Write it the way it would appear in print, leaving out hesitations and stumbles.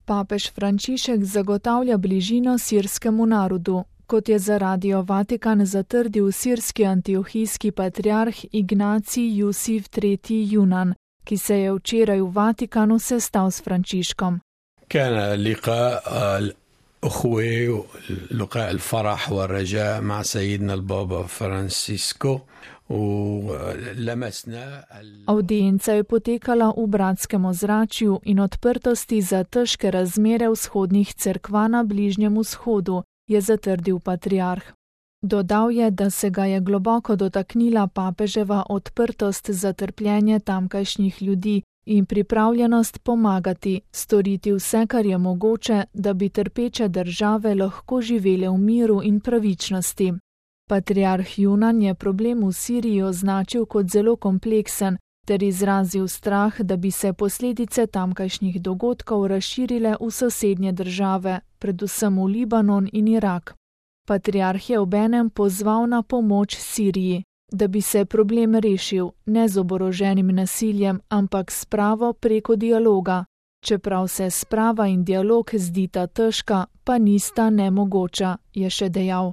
Papež Frančišek zagotavlja bližino sirskemu narodu, kot je za Radio Vatikan zatrdil sirski antiohijski patriarh Ignacij Jusif III. Junan, ki se je včeraj v Vatikanu sestal s Frančiškom. كان لقاء الأخوة لقاء الفرح والرجاء مع سيدنا البابا فرانسيسكو ولمسنا Audienca je potekala v bratskem ozračju in odprtosti za težke razmere vzhodnih cerkva na Bližnjem vzhodu, je zatrdil patriarh. Dodal je, da se ga je globoko dotaknila papeževa odprtost za trpljenje tamkajšnjih ljudi in pripravljenost pomagati, storiti vse, kar je mogoče, da bi trpeče države lahko živele v miru in pravičnosti. Patriarh Junan je problem v Siriji označil kot zelo kompleksen ter izrazil strah, da bi se posledice tamkajšnjih dogodkov razširile v sosednje države, predvsem v Libanon in Irak. Patriarh je obenem pozval na pomoč Siriji, da bi se problem rešil ne z oboroženim nasiljem, ampak s spravo preko dialoga. Čeprav se sprava in dialog zdita težka, pa nista nemogoča, je še dejal.